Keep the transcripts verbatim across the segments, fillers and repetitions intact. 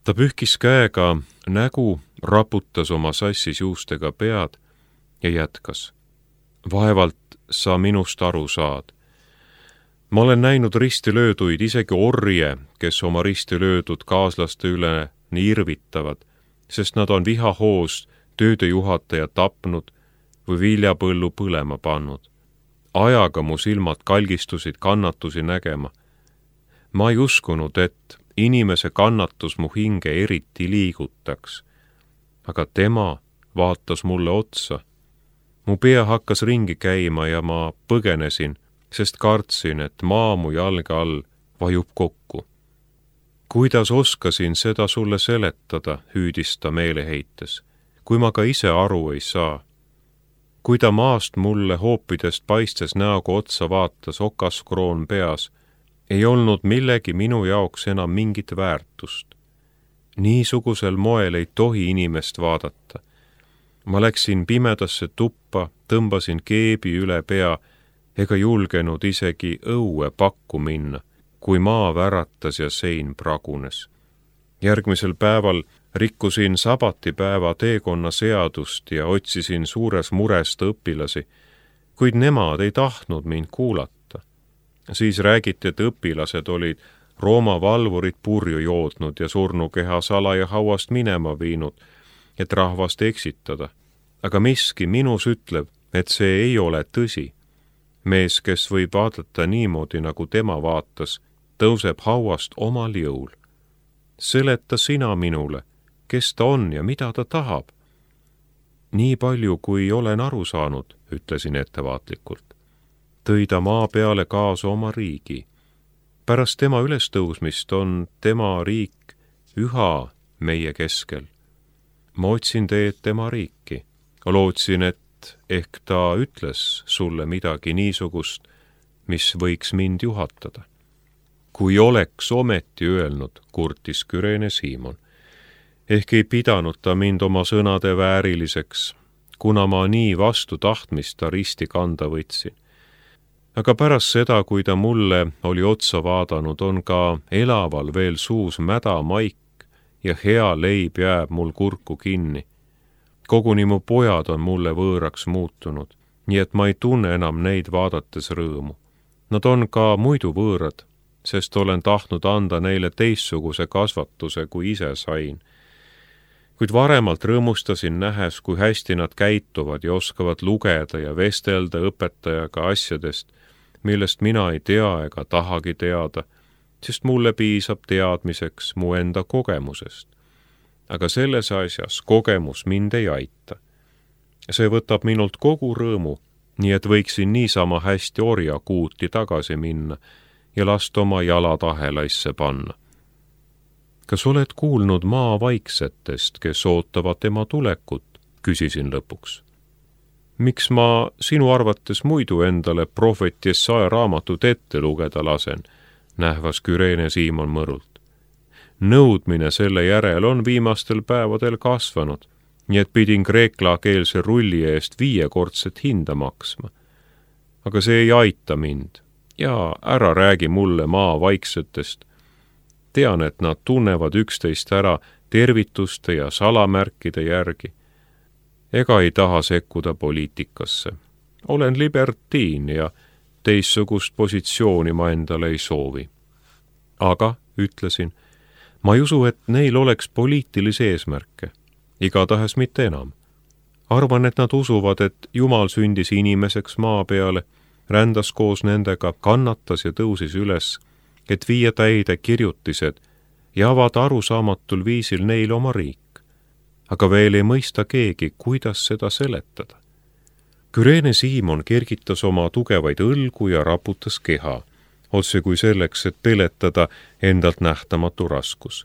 Ta pühkis käega nägu, raputas oma sassis juustega pead ja jätkas. Vaevalt sa minust aru saad. Ma olen näinud ristilööduid, isegi orje, kes oma ristilöödud kaaslaste üle nii irvitavad, sest nad on vihahoos töödejuhataja tapnud või viljapõllu põlema pannud. Ajaga mu silmad kalgistusid kannatusi nägema. Ma ei uskunud, et inimese kannatus mu hinge eriti liigutaks, aga tema vaatas mulle otsa. Mu pea hakkas ringi käima ja ma põgenesin, sest kartsin, et maa mu jalge all vajub kokku. Kuidas oskasin seda sulle seletada, hüüdis ta meeleheites, kui ma ka ise aru ei saa. Kui ta maast mulle hoopidest paistes näoga otsa vaatas, okaskroon peas, ei olnud millegi minu jaoks enam mingit väärtust. Niisugusel moel ei tohi inimest vaadata. Ma läksin pimedasse tuppa, tõmbasin keebi üle pea ega julgenud isegi õue pakku minna, kui maa väratas ja sein pragunes. Järgmisel päeval rikkusin sabatipäeva teekonna seadust ja otsisin suures murest õpilasi, kuid nemad ei tahtnud mind kuulata. Siis räägiti, et õpilased olid Rooma valvurid purju joodnud ja surnukeha salaja hauast minema viinud, et rahvast eksitada. Aga miski minus ütleb, et see ei ole tõsi. Mees, kes võib vaadata niimoodi, nagu tema vaatas, tõuseb hauast omal jõul. Seleta sina minule, kes ta on ja mida ta tahab. Nii palju, kui olen aru saanud, ütlesin ettevaatlikult. Tõi ta maa peale kaasa oma riigi. Pärast tema ülestõusmist on tema riik üha meie keskel. Ma otsin teed tema riiki. Lootsin, et ehk ta ütles sulle midagi niisugust, mis võiks mind juhatada. Kui oleks ometi öelnud, kurtis Küreene Siimon. Ehk ei pidanud ta mind oma sõnade vääriliseks, kuna ma nii vastu tahtmist ta risti kanda võtsin. Aga pärast seda, kui ta mulle oli otsa vaadanud, on ka elaval veel suus mäda maik ja hea leib jääb mul kurku kinni. Koguni mu pojad on mulle võõraks muutunud, nii et ma ei tunne enam neid vaadates rõõmu. Nad on ka muidu võõrad, sest olen tahtnud anda neile teistsuguse kasvatuse, kui ise sain. Kuid varemalt rõõmustasin nähes, kui hästi nad käituvad ja oskavad lugeda ja vestelda õpetajaga asjadest, millest mina ei tea ega tahagi teada, sest mulle piisab teadmiseks mu enda kogemusest. Aga selles asjas kogemus mind ei aita. See võtab minult kogu rõõmu, nii et võiksin niisama hästi orjakuuti tagasi minna ja last oma jalad ahelaisse panna. Kas oled kuulnud maa vaiksetest, kes ootavad tema tulekut, küsisin lõpuks. Miks ma sinu arvates muidu endale prohvet Jesaja raamatut ette lugeda lasen, nähvas Küreene Siimon mõrult. Nõudmine selle järel on viimastel päevadel kasvanud, nii et pidin kreeklakeelse rulli eest viiekordset hinda maksma. Aga see ei aita mind ja ära räägi mulle maa vaiksetest. Tean, et nad tunnevad üksteist ära tervituste ja salamärkide järgi. Ega ei taha sekkuda poliitikasse. Olen libertiin ja teissugust positsiooni ma endale ei soovi. Aga, ütlesin, ma ei usu, et neil oleks poliitilisi eesmärke. Igatahes mitte enam. Arvan, et nad usuvad, et Jumal sündis inimeseks maa peale, rändas koos nendega, kannatas ja tõusis üles, et viia täide kirjutised ja avada arusaamatul viisil neil oma riik. Aga veel ei mõista keegi, kuidas seda seletada. Küreene Siimon kergitas oma tugevaid õlgu ja raputas keha, otse kui selleks, et peletada endalt nähtamatu raskus.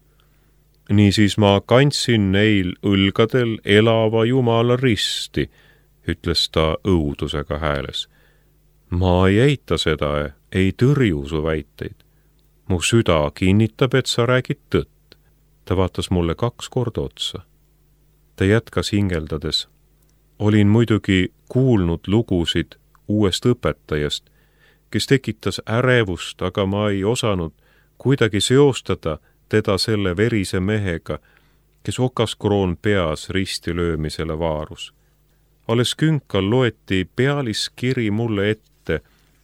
Niisiis ma kandsin neil õlgadel elava Jumala risti, ütles ta õudusega hääles. Ma ei eita seda, ei tõrju su väiteid. Mu süda kinnitab, et sa räägid tõtt. Ta vaatas mulle kaks korda otsa. Ta jätkas hingeldades. Olin muidugi kuulnud lugusid uuest õpetajast, kes tekitas ärevust, aga ma ei osanud kuidagi seostada teda selle verise mehega, kes okaskroon peas risti löömisele vaarus. Alles künkal loeti pealiskiri mulle ette,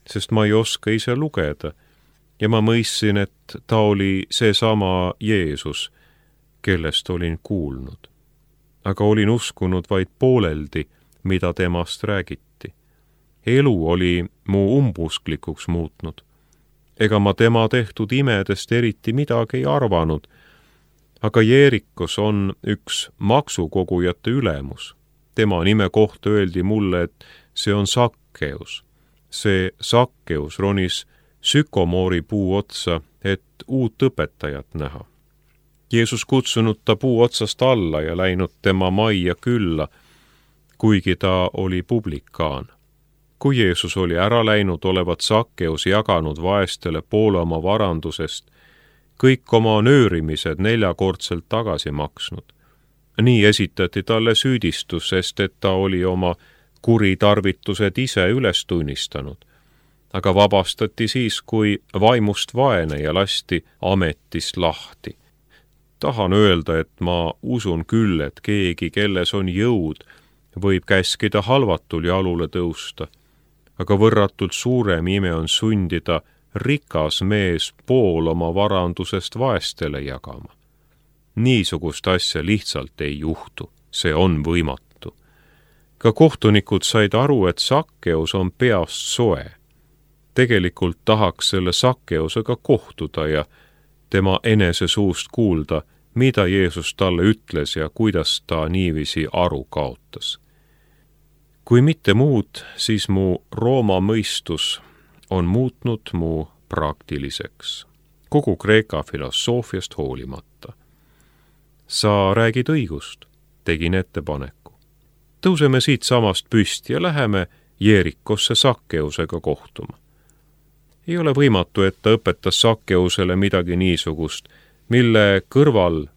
sest ma ei oska ise lugeda, ja ma mõistsin, et ta oli seesama Jeesus, kellest olin kuulnud. Aga olin uskunud vaid pooleldi, mida temast räägiti. Elu oli mu umbusklikuks muutnud. Ega ma tema tehtud imedest eriti midagi ei arvanud, aga Jeerikos on üks maksukogujate ülemus. Tema nime kohta öeldi mulle, et see on Sakkeus. See Sakkeus ronis sükomoori puu otsa, et uut õpetajat näha. Jeesus kutsunud ta puu otsast alla ja läinud tema majja külla, kuigi ta oli publikaan. Kui Jeesus oli ära läinud, olevat Sakkeus jaganud vaestele poole oma varandusest, kõik oma nöörimised neljakordselt tagasi maksnud. Nii esitati talle süüdistus, sest et ta oli oma kuritarvitused ise üles tunnistanud, aga vabastati siis, kui vaimust vaene ja lasti ametist lahti. Tahan öelda, et ma usun küll, et keegi, kelles on jõud, võib käskida halvatul jalule tõusta, aga võrratult suurem ime on sundida rikas mees pool oma varandusest vaestele jagama. Niisugust asja lihtsalt ei juhtu, see on võimatu. Ka kohtunikud said aru, et Sakkeus on peast soe. Tegelikult tahaks selle Sakkeusega kohtuda ja tema enese suust kuulda, mida Jeesus talle ütles ja kuidas ta niiviisi aru kaotas. Kui mitte muud, siis mu Rooma mõistus on muutnud mu praktiliseks, kogu Kreeka filosoofiast hoolimata. Sa räägid õigust, tegin ettepaneku. Tõuseme siit samast püsti ja läheme Jeerikosse Sakkeusega kohtuma. Ei ole võimatu, et ta õpetas Sakkeusele midagi niisugust, mille kõrval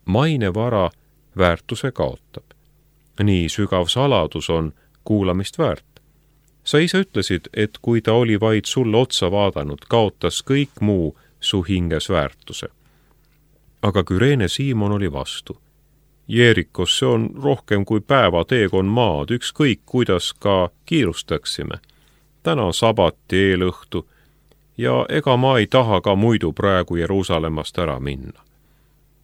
mainevara väärtuse kaotab. Nii sügav saladus on kuulamist väärt. Sa ise ütlesid, et kui ta oli vaid sulle otsa vaadanud, kaotas kõik muu su hinges väärtuse. Aga Küreene Siimon oli vastu. Jeerikos see on rohkem kui päeva teekon maad, ükskõik kuidas ka kiirustaksime. Täna on sabati eelõhtu ja ega ma ei taha ka muidu praegu Jeruusalemmast ära minna.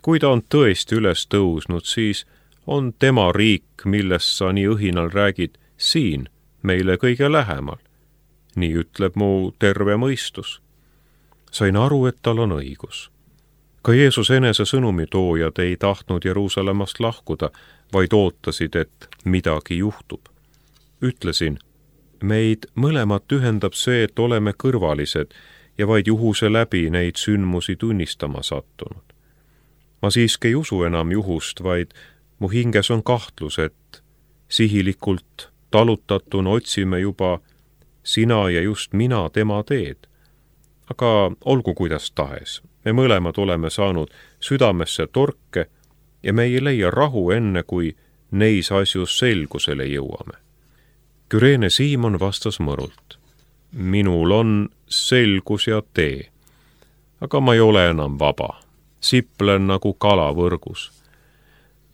Kui ta on tõesti üles tõusnud, siis on tema riik, millest sa nii õhinal räägid, siin meile kõige lähemal. Nii ütleb mu terve mõistus. Sain aru, et tal on õigus. Ka Jeesus enese sõnumitoojad ei tahtnud Jeruusalemmast lahkuda, vaid ootasid, et midagi juhtub. Ütlesin, meid mõlemat ühendab see, et oleme kõrvalised ja vaid juhuse läbi neid sündmusi tunnistama sattunud. Ma siiski ei usu enam juhust, vaid mu hinges on kahtlus, et sihilikult talutatuna otsime juba sina ja just mina tema teed. Aga olgu kuidas tahes, me mõlemad oleme saanud südamesse torke ja me ei leia rahu enne, kui neis asjus selgusele jõuame. Küreene Siimon vastas mõrult. Minul on selgus ja tee, aga ma ei ole enam vaba. Siplen nagu kala võrgus.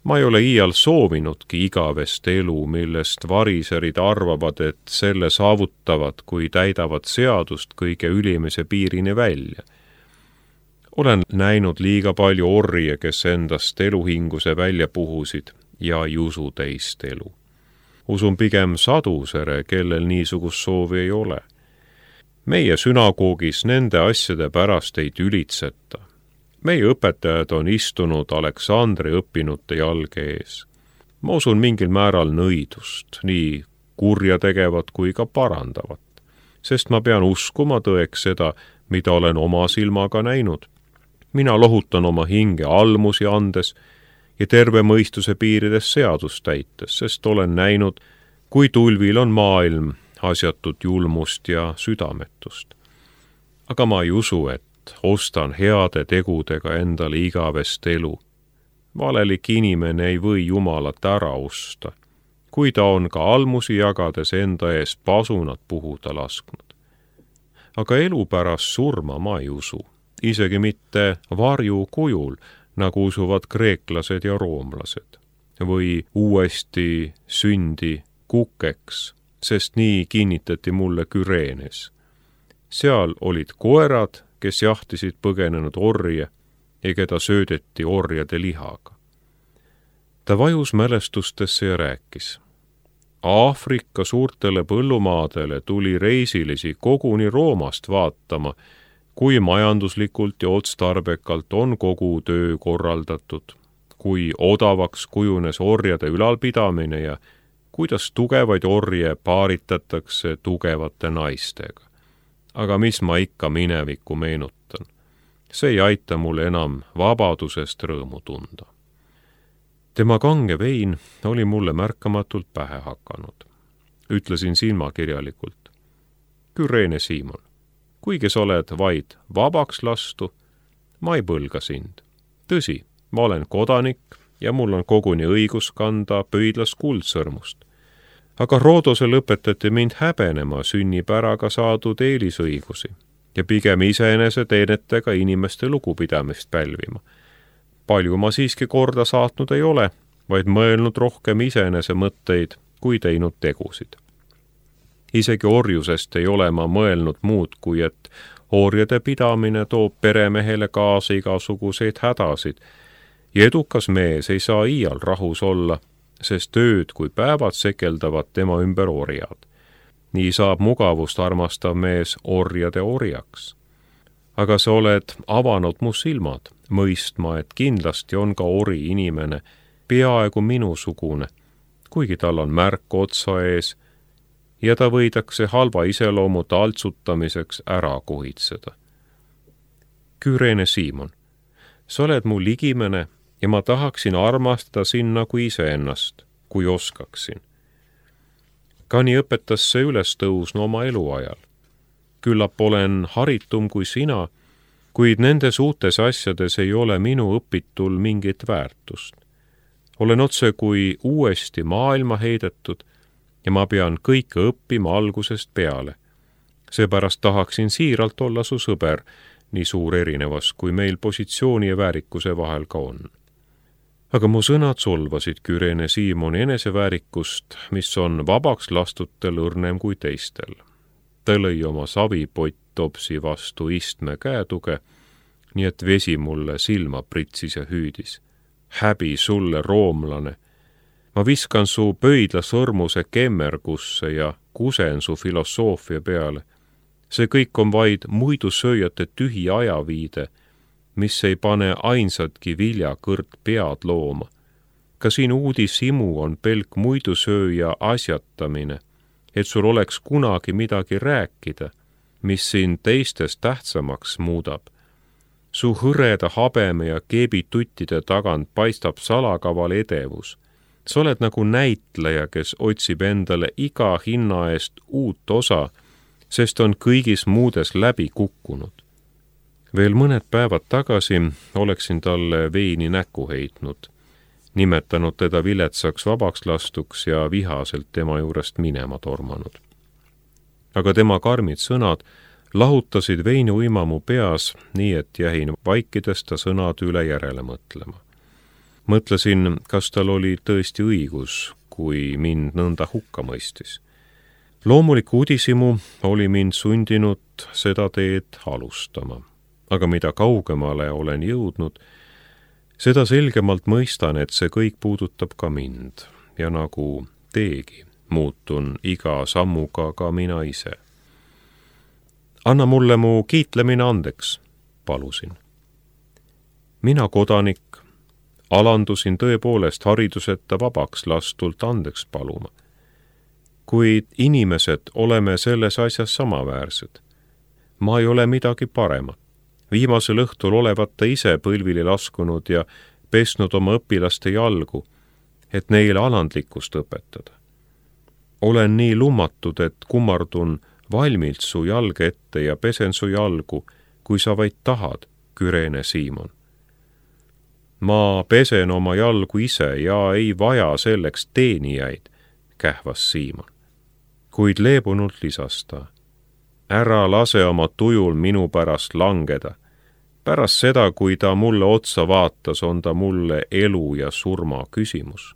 Ma ei ole iial soovinudki igavest elu, millest variserid arvavad, et selle saavutavad, kui täidavad seadust kõige ülimise piirini välja. Olen näinud liiga palju orje, kes endast eluhinguse välja puhusid ja ei usu teist elu. Usun pigem sadusere, kellel niisugust soovi ei ole. Meie sünagoogis nende asjade pärast ei tülitseta. Meie õpetajad on istunud Aleksandri õppinute jalge ees. Ma usun mingil määral nõidust, nii kurja tegevat kui ka parandavat, sest ma pean uskuma tõeks seda, mida olen oma silmaga näinud. Mina lohutan oma hinge almusi andes ja terve mõistuse piirides seadust täites, sest olen näinud, kui tulvil on maailm asjatut julmust ja südametust. Aga ma ei usu, et ostan heade tegudega endale igavest elu. Valelik inimene ei või Jumalat ära osta, kui ta on ka almusi jagades enda ees pasunat puhuda lasknud. Aga elu pärast surma ma ei usu. isegi mitte varju kujul, nagu usuvad kreeklased ja roomlased, või uuesti sündi kukeks, sest nii kinnitati mulle Küreenes. Seal olid koerad, kes jahtisid põgenenud orje ja keda söödeti orjade lihaga. Ta vajus mälestustesse ja rääkis. Aafrika suurtele põllumaadele tuli reisilisi koguni Roomast vaatama, kui majanduslikult ja otstarbekalt on kogu töö korraldatud, kui odavaks kujunes orjade ülalpidamine ja kuidas tugevaid orje paaritatakse tugevate naistega. Aga mis ma ikka minevikku meenutan? See ei aita mul enam vabadusest rõõmu tunda. Tema kange vein oli mulle märkamatult pähe hakanud. Ütlesin silmakirjalikult. Küreene Siimon, kuigi sa oled vaid vabaks lastu, ma ei põlga sind. Tõsi, ma olen kodanik ja mul on koguni õigus kanda pöidlas kuldsõrmust. Aga Roodosel õpetati mind häbenema sünnipäraga saadud eelisõigusi ja pigem iseenese teenetega inimeste lugupidamist pälvima. Palju ma siiski korda saatnud ei ole, vaid mõelnud rohkem iseenese mõtteid kui teinud tegusid. Isegi orjusest ei ole ma mõelnud muud, kui et orjade pidamine toob peremehele kaasa igasuguseid hädasid ja edukas mees ei saa iial rahus olla, sest ööd kui päevad sekeldavad tema ümber orjad. Nii saab mugavust armastav mees orjade orjaks. Aga sa oled avanud mu silmad, mõistma, et kindlasti on ka ori inimene, peaaegu minusugune, kuigi tal on märk otsa ees ja ta võidakse halva iseloomu taltsutamiseks ära kuhitseda. Küreene Siimon, sa oled mu ligimene ja ma tahaksin armastada sind nagu iseennast, kui oskaksin. Kani õpetas see üles tõusnu oma eluajal. Küllap olen haritum kui sina, kuid nendes uutes asjades ei ole minu õpitul mingit väärtust. Olen otse kui uuesti maailma heidetud ja ma pean kõike õppima algusest peale. Seepärast tahaksin siiralt olla su sõber, nii suur erinevas, kui meil positsiooni ja väärikuse vahel ka on. Aga mu sõnad solvasid Küreene Siimoni eneseväärikust, mis on vabaks lastutel õrnem kui teistel. Ta lõi oma savipott topsi vastu istme käetuge, nii et vesi mulle silma pritsis ja hüüdis. Häbi sulle, roomlane! Ma viskan su pöidla sõrmuse kemmergusse ja kusen su filosoofia peale. See kõik on vaid muidusööjate tühi ajaviide, mis ei pane ainsatki viljakõrt pead looma. Ka siin uudishimu on pelk muidusööja asjatamine, et sul oleks kunagi midagi rääkida, mis sind teistest tähtsamaks muudab. Su hõreda habeme ja keebituttide tagant paistab salakaval edevus. Sa oled nagu näitleja, kes otsib endale iga hinna eest uut osa, sest on kõigis muudes läbi kukkunud. Veel mõned päevad tagasi oleksin talle veini näkku heitnud, nimetanud teda viletsaks vabaks lastuks ja vihaselt tema juurest minema tormanud. Aga tema karmid sõnad lahutasid veini uima mu peas, nii et jäin vaikides ta sõnad üle järele mõtlema. Mõtlesin, kas tal oli tõesti õigus, kui mind nõnda hukka mõistis. Loomulik uudishimu oli mind sundinud seda teed alustama, aga mida kaugemale olen jõudnud, seda selgemalt mõistan, et see kõik puudutab ka mind ja nagu teegi muutun iga sammuga ka mina ise. Anna mulle mu kiitlemine andeks, palusin. Mina kodanik, alandusin tõepoolest hariduseta vabaks lastult andeks paluma. Kuid inimesed oleme selles asjas samaväärsed. Ma ei ole midagi paremat. Viimasel õhtul olevat ta ise põlvili laskunud ja pesnud oma õpilaste jalgu, et neile alandlikkust õpetada. Olen nii lummatud, et kummardun valmilt su jalge ette ja pesen su jalgu, kui sa vaid tahad, Küreene Siimon. Ma pesen oma jalgu ise ja ei vaja selleks teenijaid, kähvas Siimon. Kuid leebunult lisas ta. Ära lase oma tujul minu pärast langeda. pärast seda, kui ta mulle otsa vaatas, on ta mulle elu ja surma küsimus.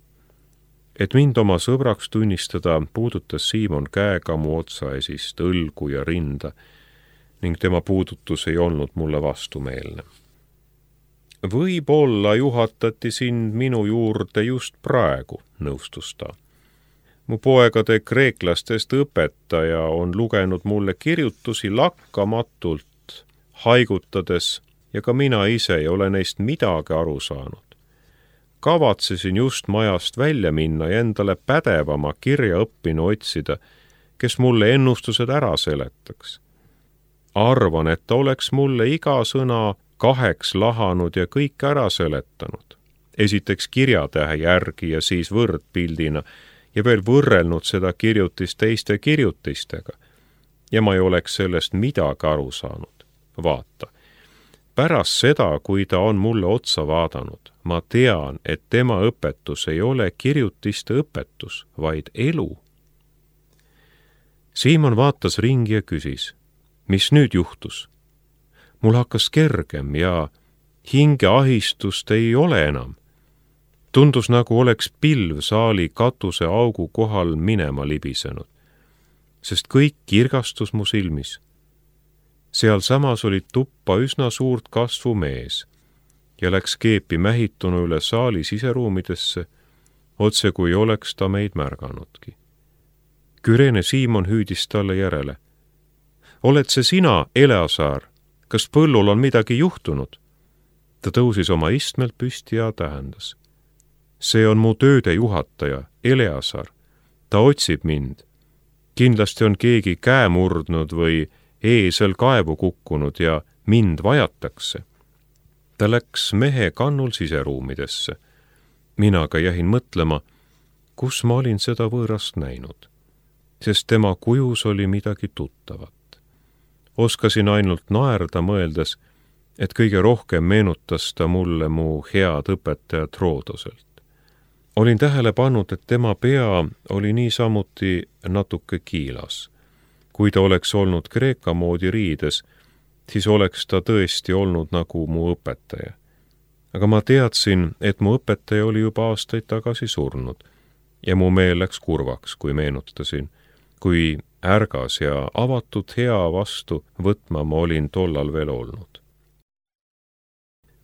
Et mind oma sõbraks tunnistada, puudutas Siimon käega mu otsaesist, õlgu ja rinda ning tema puudutus ei olnud mulle vastumeelne. Võib-olla juhatati sind minu juurde just praegu, nõustus ta. Mu poegade kreeklastest õpetaja on lugenud mulle kirjutusi lakkamatult, haigutades, ja ka mina ise ei ole neist midagi aru saanud. Kavatsesin just majast välja minna ja endale pädevama kirjaõppinu otsida, kes mulle ennustused ära seletaks. Arvan, et ta oleks mulle iga sõna kaheks lahanud ja kõik ära seletanud. Esiteks kirjatähe järgi ja siis võrdpildina ja veel võrrelnud seda kirjutist teiste kirjutistega. Ja ma ei oleks sellest midagi aru saanud. Vaata, pärast seda, kui ta on mulle otsa vaadanud, ma tean, et tema õpetus ei ole kirjutiste õpetus, vaid elu. Siimon vaatas ringi ja küsis, mis nüüd juhtus? Mul hakkas kergem ja hingeahistust ei ole enam. Tundus nagu oleks pilv saali katuse augu kohal minema libisenud, sest kõik kirgastus mu silmis. Seal samas oli tuppa üsna suurt kasvu mees ja läks keepi mähitunu üle saali siseruumidesse, otse kui oleks ta meid märganudki. Kürene Siimon hüüdis talle järele. Oled see sina, Eleazar? Kas põllul on midagi juhtunud? Ta tõusis oma istmelt püsti ja tähendas. See on mu tööde juhataja, Eleazar. Ta otsib mind. Kindlasti on keegi käe murdnud või eesel kaevu kukkunud ja mind vajatakse. Ta läks mehe kannul siseruumidesse. Mina ka jähin mõtlema, kus ma olin seda võõrast näinud, sest tema kujus oli midagi tuttavat. Oskasin ainult naerda mõeldes, et kõige rohkem meenutas ta mulle mu head õpetajat Roodoselt. Olin tähele pannud, et tema pea oli niisamuti natuke kiilas. Kui ta oleks olnud kreeka moodi riides, siis oleks ta tõesti olnud nagu mu õpetaja. Aga ma teadsin, et mu õpetaja oli juba aastaid tagasi surnud ja mu meel läks kurvaks, kui meenutasin, kui ärgas ja avatud hea vastu võtma ma olin tollal veel olnud.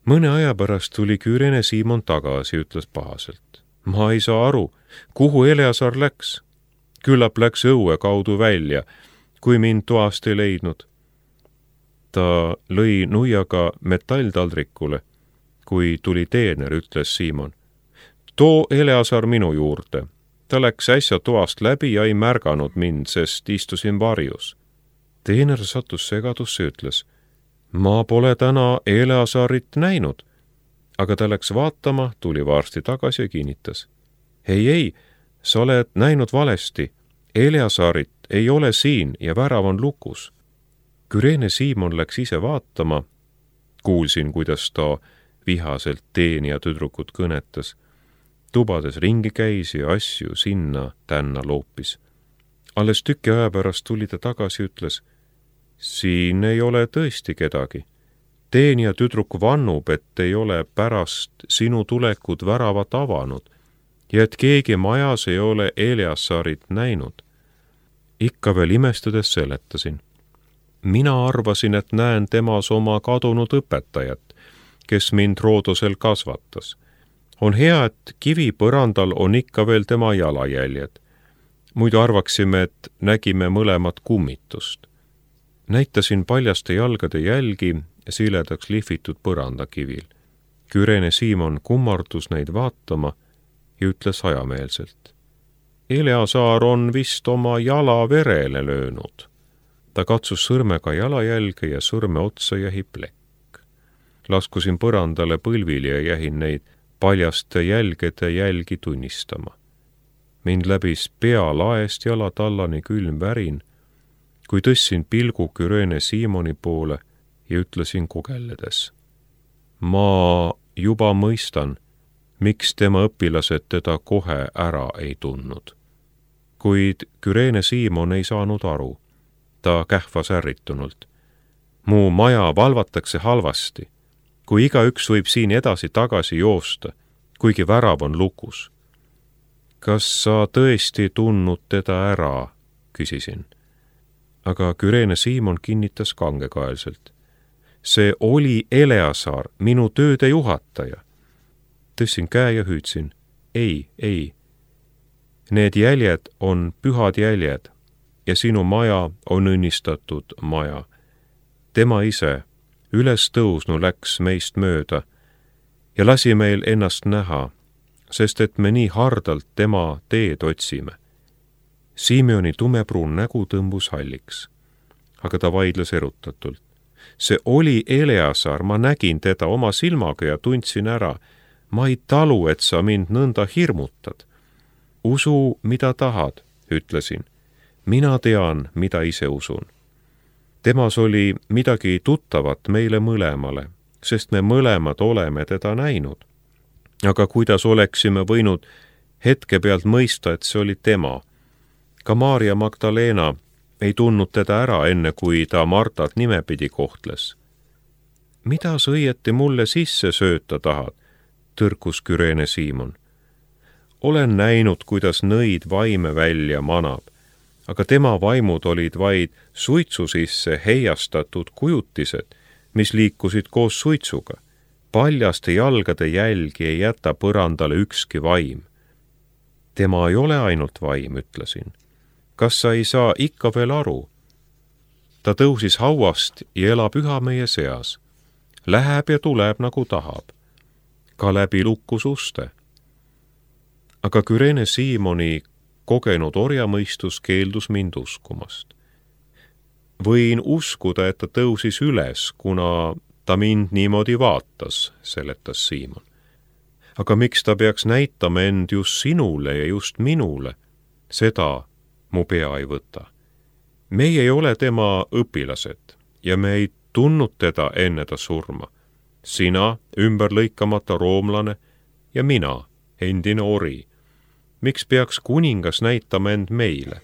Mõne aja pärast tuli Kürene Siimon tagasi, ütles pahaselt. Ma ei saa aru, kuhu Eleazar läks. Küllap läks õue kaudu välja, kui mind toast ei leidnud. Ta lõi nuiaga metalltaldrikule, kui tuli teener, ütles Siimon. Too Eleazar minu juurde. Ta läks äsja toast läbi ja ei märganud mind, sest istusin varjus. Teener sattus segadusse, ütles. Ma pole täna Eleazarit näinud. Aga ta läks vaatama, tuli varsti tagasi ja kinnitas. Ei, ei, sa oled näinud valesti. Eleazarit ei ole siin ja värav on lukus. Kürene Siimon läks ise vaatama. Kuulsin, kuidas ta vihaselt teenija tüdrukut kõnetas. Tubades ringi käis ja asju sinna tänna loopis. Alles tüki aja pärast tuli ta tagasi ja ütles, siin ei ole tõesti kedagi. Teenija tüdruk vannub, et ei ole pärast sinu tulekut väravat avanud ja et keegi majas ei ole Eleazarit näinud. Ikka veel imestades seletasin. Mina arvasin, et näen temas oma kadunud õpetajat, kes mind Roodosel kasvatas. On hea, et kivipõrandal on ikka veel tema jalajäljed. Muidu arvaksime, et nägime mõlemat kummitust. Näitasin paljaste jalgade jälgi siledaks lihvitud põrandakivil. Kürene Siimon kummardus neid vaatama ja ütles hajameelselt. Eleazar on vist oma jala verele löönud. Ta katsus sõrmega jalajälge ja sõrme otsa jäi plekk. Laskusin põrandale põlvili ja jähin neid paljaste jälgede jälgi tunnistama. Mind läbis pea laest jalatallani külm värin, kui tõssin pilgu Kürene Siimoni poole ja ütlesin kugelledes. Ma juba mõistan, miks tema õpilased teda kohe ära ei tundnud. Kuid Kürene Siimon ei saanud aru. Ta kähvas ärritunult. Mu maja valvatakse halvasti. kui igaüks võib siin edasi-tagasi joosta, kuigi värav on lukus. Kas sa tõesti tundnud teda ära, küsisin. Aga Küreene Siimon kinnitas kangekaelselt. See oli Eleazar, minu tööde juhataja. Tõssin käe ja hüüdsin. Ei, ei. Need jäljed on pühad jäljed ja sinu maja on õnnistatud maja. Tema ise üles tõusnu läks meist mööda ja lasi meil ennast näha, sest et me nii hardalt tema teed otsime. Simeoni tumepruun nägu tõmbus halliks, aga ta vaidles erutatult. See oli Eleazar, ma nägin teda oma silmaga ja tundsin ära. Ma ei talu, et sa mind nõnda hirmutad. Usu, mida tahad, ütlesin. Mina tean, mida ise usun. Temas oli midagi tuttavat meile mõlemale, sest me mõlemad oleme teda näinud. Aga kuidas oleksime võinud hetke pealt mõista, et see oli tema? Ka Maarja Magdalena ei tundnud teda ära enne, kui ta Martat nimepidi kohtles. Mida sa õieti mulle sisse sööta tahad? Tõrkus Küreene Siimon. Olen näinud, kuidas nõid vaime välja manab, aga tema vaimud olid vaid suitsu sisse heiastatud kujutised, mis liikusid koos suitsuga. Paljaste jalgade jälgi ei jäta põrandale ükski vaim. Tema ei ole ainult vaim, ütlesin. Kas sa ei saa ikka veel aru? Ta tõusis hauast ja elab üha meie seas. Läheb ja tuleb nagu tahab. Ka läbi lukkus uste. Aga Küreene Siimoni kogenud orjamõistus keeldus mind uskumast. Võin uskuda, et ta tõusis üles, kuna ta mind niimoodi vaatas, seletas Siimon. Aga miks ta peaks näitama end just sinule ja just minule? Seda mu pea ei võta. Meie ei ole tema õpilased ja me ei tundnud teda enne ta surma. Sina, ümberlõikamata roomlane, ja mina, endine ori. Miks peaks kuningas näitama end meile?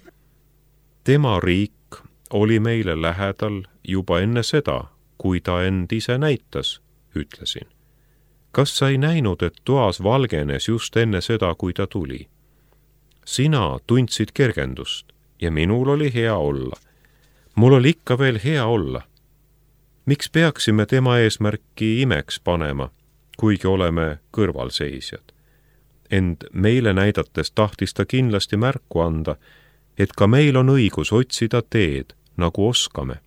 Tema riik oli meile lähedal juba enne seda, kui ta end ise näitas, ütlesin. Kas sa ei näinud, et toas valgenes just enne seda, kui ta tuli? Sina tundsid kergendust ja minul oli hea olla. Mul oli ikka veel hea olla. Miks peaksime tema eesmärki imeks panema, kuigi oleme kõrvalseisjad? Ent meile näidates tahtis ta kindlasti märku anda, et ka meil on õigus otsida teed, nagu oskame.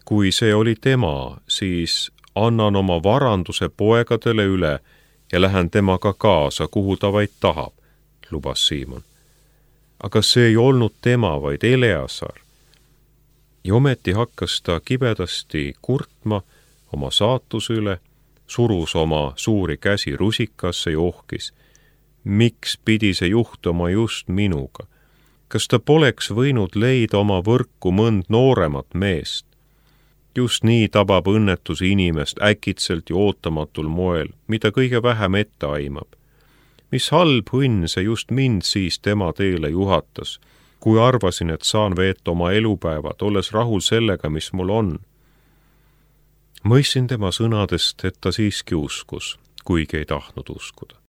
Kui see oli tema, siis annan oma varanduse poegadele üle ja lähen temaga kaasa, kuhu ta vaid tahab, lubas Siimon. Aga see ei olnud tema, vaid Eleazar. Ja ometi hakkas ta kibedasti kurtma oma saatuse üle, surus oma suuri käsi rusikasse ja ohkis. Miks pidi see juhtuma just minuga? Kas ta poleks võinud leida oma võrku mõnd nooremat meest? Just nii tabab õnnetus inimest äkitselt ja ootamatul moel, mida kõige vähem ette aimab. Mis halb õnn see just mind siis tema teele juhatas, kui arvasin, et saan veeta oma elupäevad, olles rahul sellega, mis mul on. Mõistsin tema sõnadest, et ta siiski uskus, kuigi ei tahtnud uskuda.